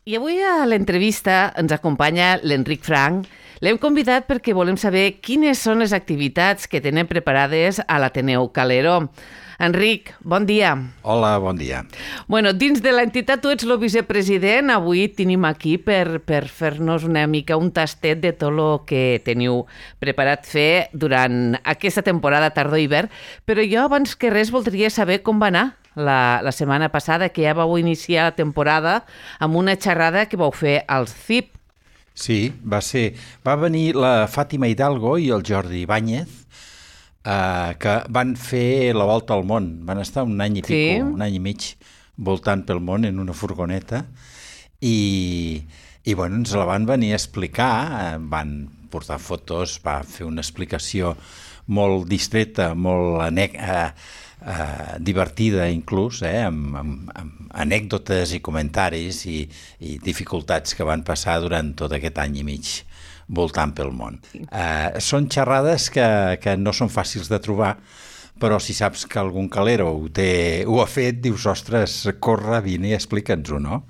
I avui a l'entrevista ens acompanya l'Enric Franch. L'hem convidat perquè volem saber quines són les activitats que tenen preparades a l'Ateneu Calero. Enric, bon dia. Hola, bon dia. Bueno, dins de l'entitat tu ets el vicepresident. Avui tenim aquí per fer-nos una mica un tastet de tot el que teniu preparat fer durant aquesta temporada tardor-hivern. Però jo, abans que res, voldria saber com va anar la setmana passada, que ja vau iniciar la temporada amb una xerrada que vau fer al CIP. Sí, va venir la Fàtima Hidalgo i el Jordi Ibáñez, que van fer la volta al món. Van estar un any i pico, un any i mig, voltant pel món en una furgoneta i bueno, ens la van venir a explicar, van portar fotos, va fer una explicació molt distreta, molt divertida inclús, amb anècdotes i comentaris i dificultats que van passar durant tot aquest any i mig voltant pel món. Són xerrades que no són fàcils de trobar, però si saps que algun calero ho ha fet, dius, ostres, corre, vine i explica'ns-ho, no?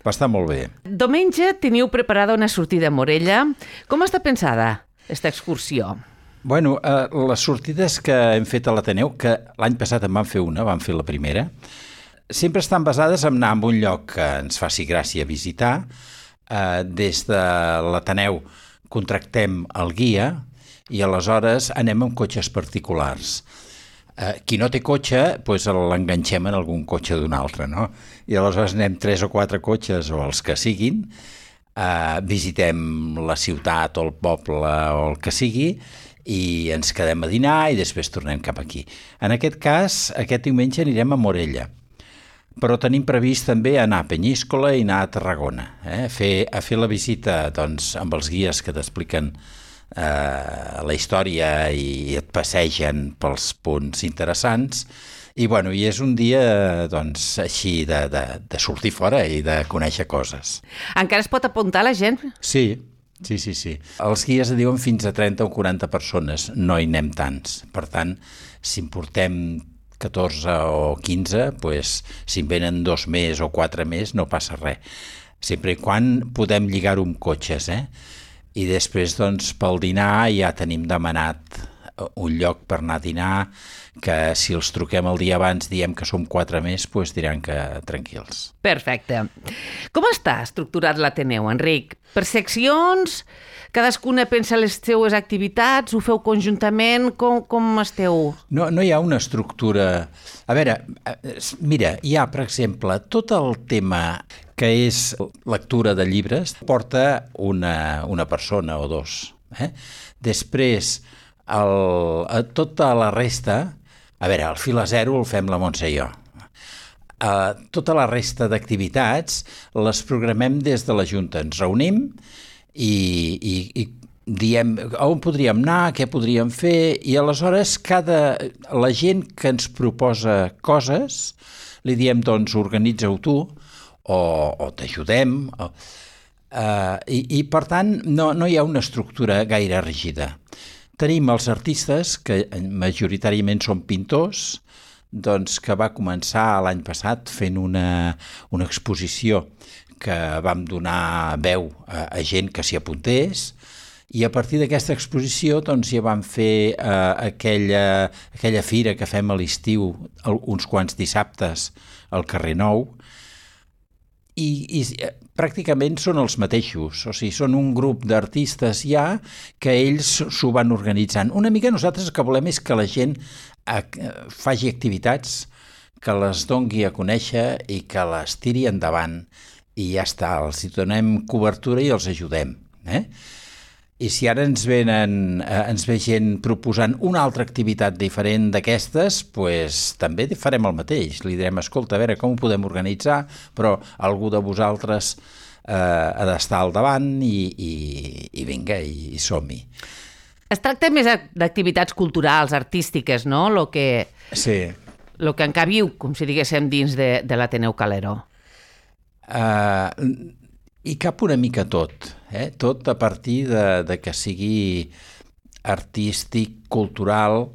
Va estar molt bé. Diumenge teniu preparada una sortida a Morella. Com està pensada aquesta excursió? Bueno, les sortides que hem fet a l'Ateneu, que l'any passat en vam fer una, vam fer la primera, sempre estan basades en anar a un lloc que ens faci gràcia visitar. Des de l'Ateneu contractem el guia i aleshores anem amb cotxes particulars. Qui no té cotxe, doncs l'enganxem en algun cotxe d'un altre, no? I aleshores anem 3 o 4 cotxes o els que siguin, visitem la ciutat o el poble o el que sigui i ens quedem a dinar i després tornem cap aquí. En aquest cas, aquest diumenge anirem a Morella, però tenim previst també anar a Penyíscola i anar a Tarragona, a fer la visita doncs, amb els guies que t'expliquen la història i et passegen pels punts interessants. I bueno, és un dia doncs, així de sortir fora i de conèixer coses. Encara es pot apuntar la gent? Sí. Els guies diuen fins a 30 o 40 persones, no hi anem tants. Per tant, si en portem 14 o 15, doncs, si en venen 2 més o 4 més, no passa res. Sempre i quan podem lligar-ho amb cotxes, I després, doncs, pel dinar ja tenim demanat un lloc per anar a dinar, que si els truquem el dia abans diem que som 4 més, doncs diran que tranquils. Perfecte. Com està estructurat l'Ateneu, Enric? Per seccions? Cadascuna pensa les seues activitats? Ho feu conjuntament? Com esteu? No hi ha una estructura. A veure, mira, hi ha, per exemple, tot el tema que és lectura de llibres, porta una persona o dos. Després, tota la resta, a veure, el fil a zero el fem la Montse i jo. Tota la resta d'activitats les programem des de la Junta. Ens reunim i diem on podríem anar, què podríem fer, i aleshores la gent que ens proposa coses li diem, doncs, organitza-ho tu o t'ajudem. I per tant, no hi ha una estructura gaire rígida. Tenim els artistes, que majoritàriament són pintors, doncs que va començar l'any passat fent una exposició que vam donar veu a gent que s'hi apuntés, i a partir d'aquesta exposició doncs, ja vam fer aquella fira que fem a l'estiu uns quants dissabtes al carrer Nou, i pràcticament són els mateixos, o sigui, són un grup d'artistes ja que ells s'ho van organitzant. Una mica nosaltres el que volem és que la gent faci activitats, que les dongui a conèixer i que les tiri endavant i ja està, els hi donem cobertura i els ajudem. I si ara ens ve gent proposant una altra activitat diferent d'aquestes, doncs també farem el mateix. Li direm, escolta, a veure com ho podem organitzar, però algú de vosaltres ha d'estar al davant i vinga, i som-hi. Es tracta més d'activitats culturals, artístiques, no? Sí. Lo que encabiu, com si diguéssim, dins de l'Ateneu Calero. I cap una mica tot, tot a partir de que sigui artístic, cultural,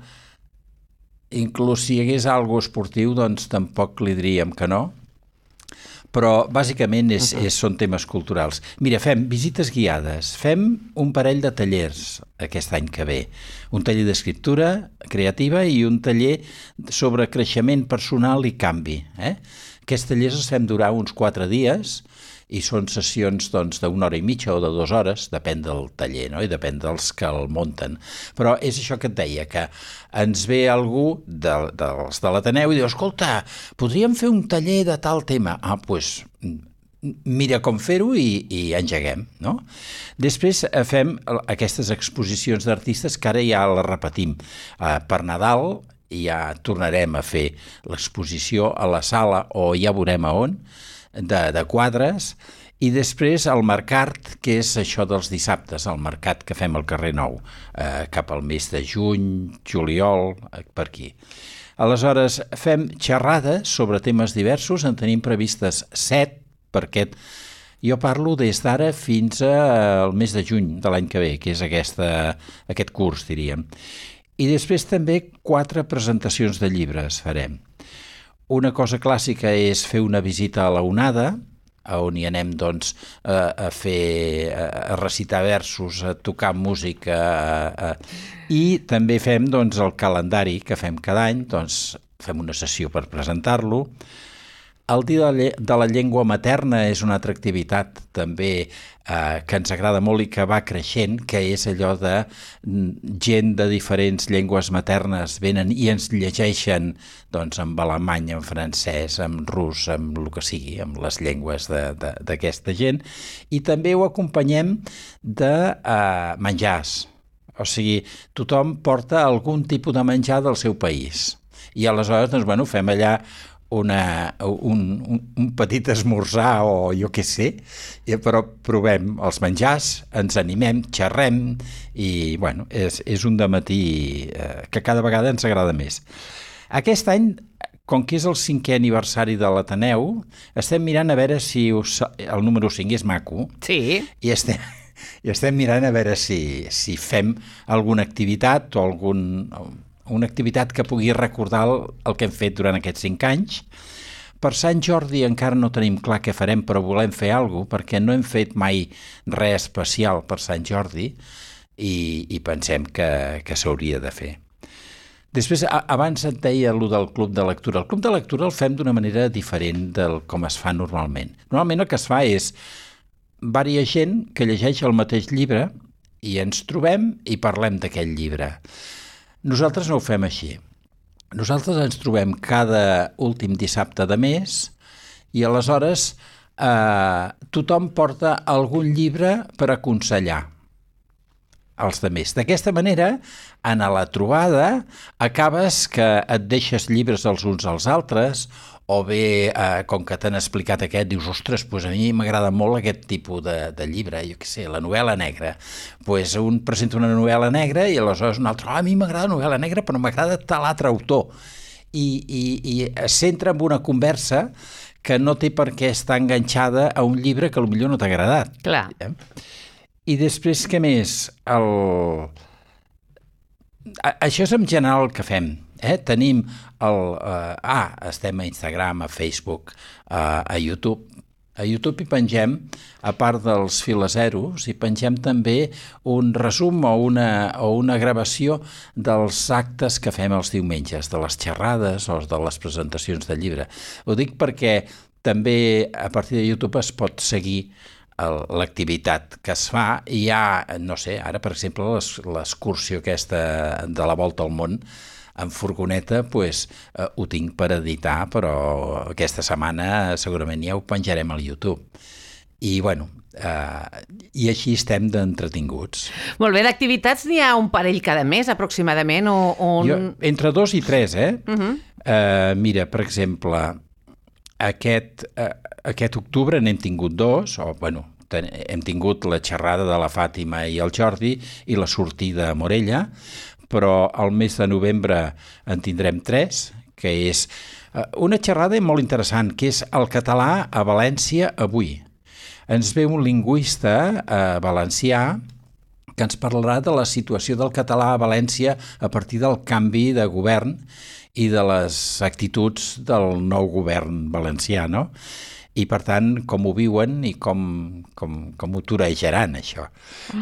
inclús si hi hagués alguna cosa esportiu, doncs tampoc li diríem que no, però bàsicament són temes culturals. Mira, fem visites guiades, fem un parell de tallers aquest any que ve, un taller d'escriptura creativa i un taller sobre creixement personal i canvi. Aquests tallers els fem durar uns 4 dies i són sessions d'una hora i mitja o de 2 hores, depèn del taller, no? I depèn dels que el munten. Però és això que et deia, que ens ve algú dels de l'Ateneu i diu, escolta, podríem fer un taller de tal tema. Doncs mira com fer-ho i engeguem, no? Després fem aquestes exposicions d'artistes que ara ja les repetim. Per Nadal ja tornarem a fer l'exposició a la sala o ja veurem a on, de quadres, i després el mercat, que és això dels dissabtes, el mercat que fem al carrer Nou, cap al mes de juny, juliol, per aquí. Aleshores, fem xerrades sobre temes diversos, en tenim previstes 7, perquè jo parlo des d'ara fins al mes de juny de l'any que ve, que és aquest curs, diríem. I després també 4 presentacions de llibres farem. Una cosa clàssica és fer una visita a la Onada, on hi anem a recitar versos, a tocar música, i també fem el calendari que fem cada any, fem una sessió per presentar-lo. El Dia de la Llengua Materna és una altra activitat també que ens agrada molt i que va creixent, que és allò de gent de diferents llengües maternes venen i ens llegeixen amb alemany, en francès, en rus, amb el que sigui, amb les llengües d'aquesta gent. I també ho acompanyem de menjars. O sigui, tothom porta algun tipus de menjar del seu país. I aleshores, fem allà un petit esmorzar o jo què sé, però provem els menjars, ens animem, xerrem i és un dematí que cada vegada ens agrada més. Aquest any, com que és el 5è aniversari de l'Ateneu, estem mirant a veure si el número 5 és maco. Sí. I estem mirant a veure si fem alguna activitat o una activitat que pugui recordar el que hem fet durant aquests 5 anys. Per Sant Jordi encara no tenim clar què farem, però volem fer alguna cosa, perquè no hem fet mai res especial per Sant Jordi i pensem que s'hauria de fer. Després, abans et deia allò del club de lectura. El club de lectura el fem d'una manera diferent del com es fa normalment. Normalment el que es fa és diversa gent que llegeix el mateix llibre i ens trobem i parlem d'aquell llibre. Nosaltres no ho fem així. Nosaltres ens trobem cada últim dissabte de mes i aleshores tothom porta algun llibre per aconsellar els altres. D'aquesta manera, en la trobada, acabes que et deixes llibres els uns als altres o bé, com que t'han explicat aquest, dius, ostres, doncs a mi m'agrada molt aquest tipus de llibre, jo què sé, la novel·la negra. Doncs un presenta una novel·la negra i aleshores un altre, a mi m'agrada la novel·la negra però m'agrada tal altre autor. I es centra en una conversa que no té per què estar enganxada a un llibre que potser no t'ha agradat. Clar. I després, què més? Això és en general el que fem. Tenim estem a Instagram, a Facebook, a YouTube. A YouTube hi pengem, a part dels filazeros, hi pengem també un resum o una gravació dels actes que fem els diumenges, de les xerrades o de les presentacions de llibre. Ho dic perquè també a partir de YouTube es pot seguir l'activitat que es fa i hi ha, no sé, ara per exemple l'excursió aquesta de la Volta al Món en furgoneta, ho tinc per editar, però aquesta setmana segurament ja ho penjarem al YouTube. I i així estem d'entretinguts. Molt bé, d'activitats n'hi ha un parell cada mes aproximadament? Entre 2 i 3, mira, per exemple, aquest octubre n'hem tingut 2, hem tingut la xerrada de la Fàtima i el Jordi i la sortida a Morella, però al mes de novembre en tindrem 3, que és una xerrada molt interessant, que és el català a València avui. Ens ve un lingüista valencià que ens parlarà de la situació del català a València a partir del canvi de govern i de les actituds del nou govern valencià, no? i, per tant, com ho viuen i com ho torejaran, això.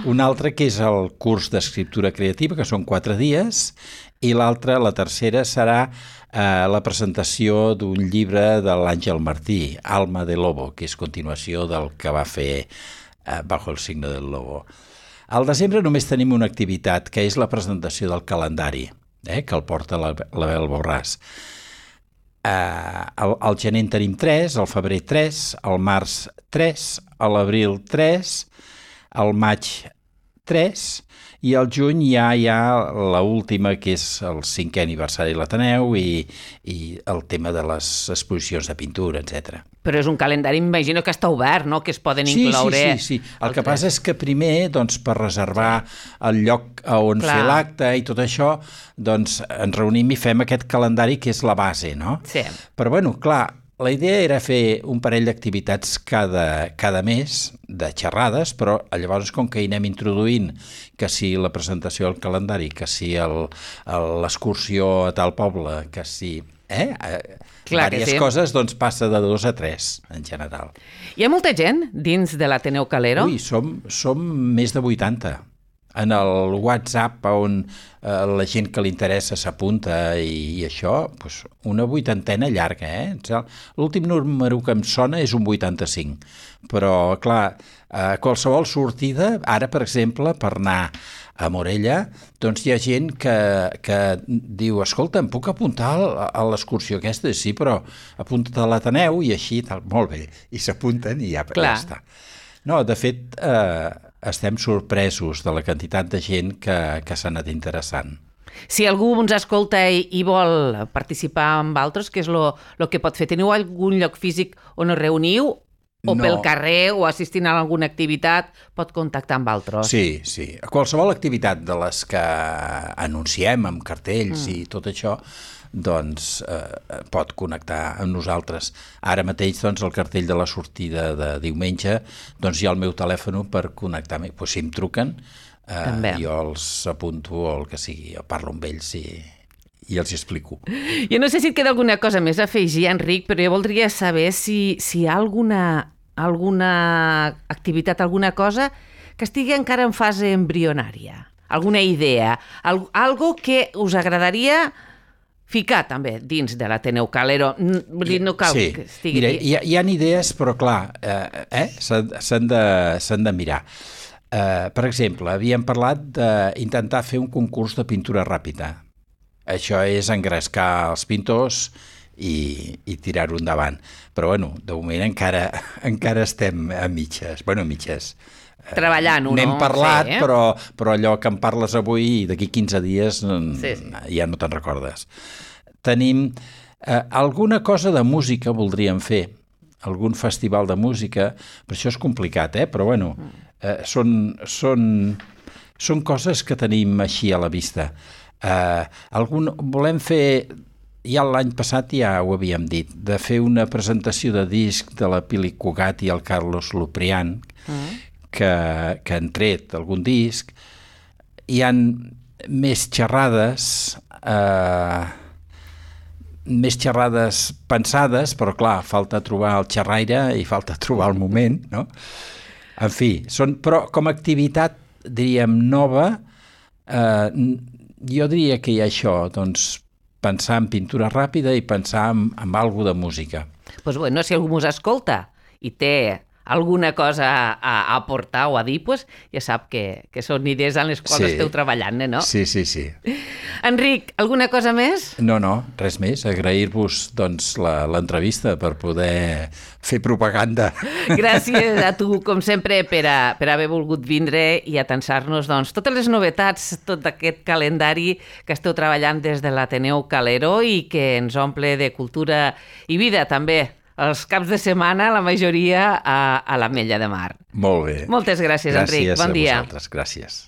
Un altre que és el curs d'escriptura creativa, que són 4 dies, i l'altre, la tercera, serà la presentació d'un llibre de l'Àngel Martí, Alma de Lobo, que és continuació del que va fer Bajo el signo del lobo. Al desembre només tenim una activitat, que és la presentació del calendari, que el porta la Bel Borràs. Al gener en tenim 3, al febrer 3, al març 3, a l'abril 3, al maig 3, i al juny ja hi ha l'última, que és el 5è aniversari de l'Ateneu i el tema de les exposicions de pintura, etc. Però és un calendari, m'imagino que està obert, no?, que es poden incloure... Sí. El que passa és que primer, doncs, per reservar el lloc on fer l'acte i tot això, doncs ens reunim i fem aquest calendari que és la base, no? Sí. Però, bueno, clar, la idea era fer un parell d'activitats cada mes, de xerrades, però llavors com que hi anem introduint que si la presentació del calendari, que si l'excursió a tal poble, que si... Diverses coses, doncs passa de 2 a 3, en general. Hi ha molta gent dins de l'Ateneu Calero? Ui, som més de 80. En el WhatsApp, on la gent que li interessa s'apunta i això, doncs una 80ena llarga, L'últim número que em sona és un 85. Però, clar, qualsevol sortida, ara, per exemple, per anar a Morella, doncs hi ha gent que diu, escolta, em puc apuntar a l'excursió aquesta? Sí, però apunta't a l'Ateneu i així, tal. Molt bé, i s'apunten i ja està. No, de fet, estem sorpresos de la quantitat de gent que s'ha anat interessant. Si algú ens escolta i vol participar amb altres, què és el que pot fer? Teniu algun lloc físic on us reuniu? O pel carrer o assistint a alguna activitat pot contactar amb altres? Sí. Qualsevol activitat de les que anunciem amb cartells i tot això, doncs pot connectar amb nosaltres. Ara mateix, doncs, el cartell de la sortida de diumenge, doncs hi ha el meu telèfon per connectar-me. Pues, si em truquen, jo els apunto o el que sigui, jo parlo amb ells i els explico. Jo no sé si et queda alguna cosa més a afegir, Enric, però jo voldria saber si hi ha alguna activitat, alguna cosa que estigui encara en fase embrionària, alguna idea, algo que us agradaria ficar també dins de l'Ateneu Calero. No cal que estigui... Mira, hi ha idees, però clar, s'han de mirar. Per exemple, havíem parlat d'intentar fer un concurs de pintura ràpida. Això és engrescar els pintors i tirar-ho endavant. Però, bueno, de moment encara estem a mitges. Bueno, a mitges. Treballant-ho, no? N'hem parlat, però allò que em parles avui i d'aquí 15 dies ja no te'n recordes. Tenim alguna cosa de música voldríem fer, algun festival de música, però això és complicat, però bueno, són coses que tenim així a la vista. Volem fer, ja l'any passat ja ho havíem dit, de fer una presentació de disc de la Pili Cugat i el Carlos Luprián, que han tret algun disc. Hi ha més xerrades pensades, però clar, falta trobar el xerraire i falta trobar el moment, no? En fi, però com a activitat, diríem, nova, jo diria que hi ha això, doncs, pensar en pintura ràpida i pensar en alguna de música. Doncs bueno, si algú us escolta i té alguna cosa a aportar o a dir, pues, ja sap que són idees en les quals esteu treballant, no? Sí. Enric, alguna cosa més? No, res més. Agrair-vos doncs, l'entrevista per poder fer propaganda. Gràcies a tu, com sempre, per haver volgut vindre i atansar-nos doncs, totes les novetats, tot aquest calendari que esteu treballant des de l'Ateneu Calero i que ens omple de cultura i vida, també. Els caps de setmana, la majoria a l'Ametlla de Mar. Molt bé. Moltes gràcies, Enric. Bon dia. Gràcies a vosaltres. Gràcies.